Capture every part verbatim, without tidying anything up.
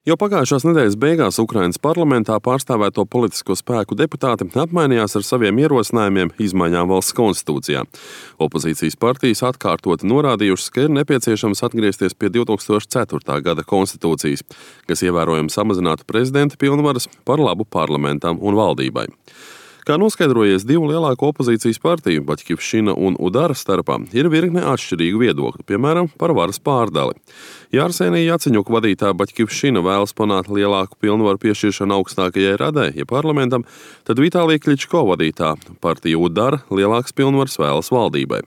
Jau pagājušās nedēļas beigās Ukrainas parlamentā pārstāvēto politisko spēku deputāti apmainījās ar saviem ierosinājumiem izmaiņām valsts konstitūcijā. Opozīcijas partijas atkārtoti norādījušas, ka ir nepieciešams atgriezties pie divs tūkstoši ceturtā gada konstitūcijas, kas ievērojami samazinātu prezidenta pilnvaras par labu parlamentam un valdībai. Kā noskaidrojies divu lielāko opozīcijas partiju, Baķkivšina un Udara starpā, ir virkne atšķirīgu viedokļu, piemēram, par varas pārdali. Ja Arsenija Jaceņuka vadītā Baķkivšina vēlas panākt lielāku pilnvaru piešķiršanu augstākajai radai, ja parlamentam, tad Vitālija Kličko vadītā partija Udara lielāks pilnvaras vēlas valdībai.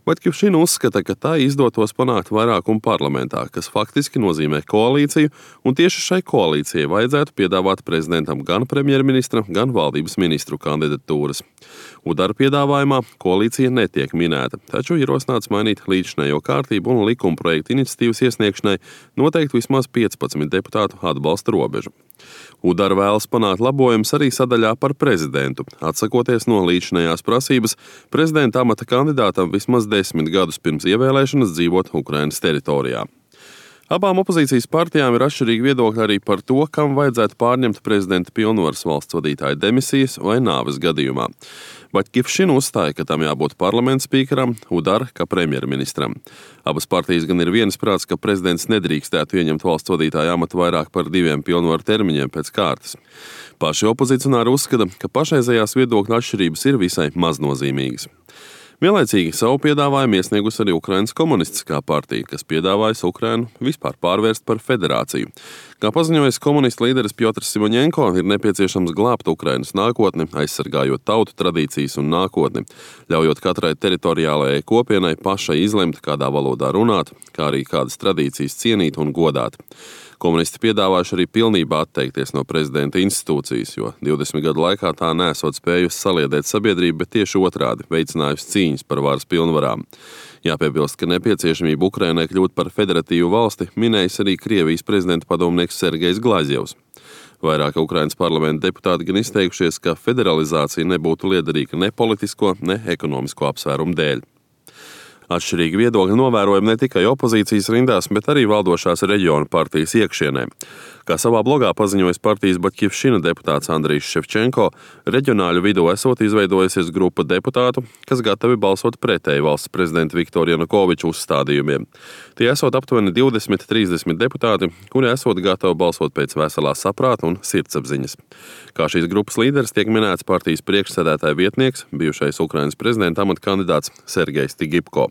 Baķkivšina uzskata, ka tā izdotos panākt vairākumu parlamentā, kas faktiski nozīmē koalīciju, un tieši šai koalīcijai vajadzētu piedāvāt prezidentam gan premjerministra, gan valdības ministru kandidatūras. Udara piedāvājumā koalīcija netiek minēta, taču ierosināts mainīt līdzinējo kārtību un likumprojektu iniciatīvas iesniegšanai noteikt vismaz piecpadsmit deputātu atbalsta robežu. Udara vēlas panākt labojumus arī sadaļā par prezidentu, atsakoties no līdzinējās prasības prezidenta amata kandidātam vismaz desmit gadus pirms ievēlēšanas dzīvot Ukrainas teritorijā. Abām opozīcijas partijām ir atšķirīgi viedokļi arī par to, kam vajadzētu pārņemt prezidenta pilnvaras valsts vadītāja demisijas vai nāves gadījumā. Baķkivšina uzstāja, ka tam jābūt parlamenta spīkeram, Udara kā premjerministram. Abas partijas gan ir viensprāts, ka prezidents nedrīkstētu ieņemt valsts vadītāja amatu vairāk par diviem pilnvaru termiņiem pēc kārtas. Paši opozicionāri uzskata, ka pašreizējās viedokļu atšķirības ir visai maznozīmīgas. Vienlaicīgi savu piedāvājumu iesniegusi arī Ukrainas komunistiskā partija, kas piedāvājas Ukrainu vispār pārvērst par federāciju. Kā paziņojis komunistu līderis Pjotrs Simoņenko, ir nepieciešams glābt Ukrainas nākotni, aizsargājot tautu tradīcijas un nākotni, ļaujot katrai teritoriālajai kopienai pašai izlemt, kādā valodā runāt, kā arī kādas tradīcijas cienīt un godāt. Komunisti piedāvājuši arī pilnībā atteikties no prezidenta institūcijas, jo divdesmit gadu laikā tā nesot spējusi saliedēt sabiedrību, bet tieši otrādi veicinājusi cīņas par varas pilnvarām. Jāpiebilst, ka nepieciešamība Ukrainai kļūt par federatīvu valsti minējis arī Krievijas prezidenta padomnieks Sergejs Glazjevs. Vairāk Ukrainas parlamenta deputāti gan izteikušies, ka federalizācija nebūtu liederīga ne politisko, ne ekonomisko apsvērumu dēļ. Atšķirīgi viedokļi novērojami ne tikai opozīcijas rindās, bet arī valdošās reģionu partijas iekšienē. Kā savā blogā paziņojis partijas Baķkivšina deputāts Andrijs Ševčenko, reģionāļu vidū esot izveidojusies grupa deputātu, kas gatavi balsot pretēji valsts prezidenta Viktora Janukoviča uzstādījumiem. Tie esot aptuveni divdesmit līdz trīsdesmit deputāti, kuri esot gatavi balsot pēc veselā saprāta un sirdsapziņas. Kā šīs grupas līderis tiek minēts partijas priekšsēdētāja vietnieks, bijušais Ukrainas prezidenta amata kandidāts Sergejs Tigipko.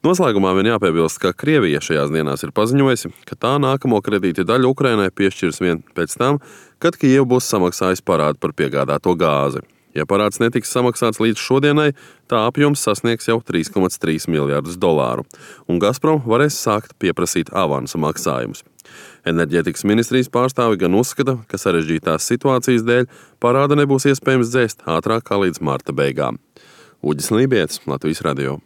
Noslēgumā vien jāpiebilst, ka Krievija šajās dienās ir paziņojusi, ka tā nākamo kredīta daļu Ukrainai piešķirs vien pēc tam, kad Kijeva būs samaksājusi parādu par piegādāto gāzi. Ja parāds netiks samaksāts līdz šodienai, tā apjoms sasniegs jau trīs komats trīs miljardus dolāru, un Gazprom varēs sākt pieprasīt avansa maksājumus. Enerģētikas ministrijas pārstāvi gan uzskata, ka sarežģītās situācijas dēļ parāda nebūs iespējams dzēst ātrāk kā līdz marta beigām. Uģis Lībietis, Latvijas radio.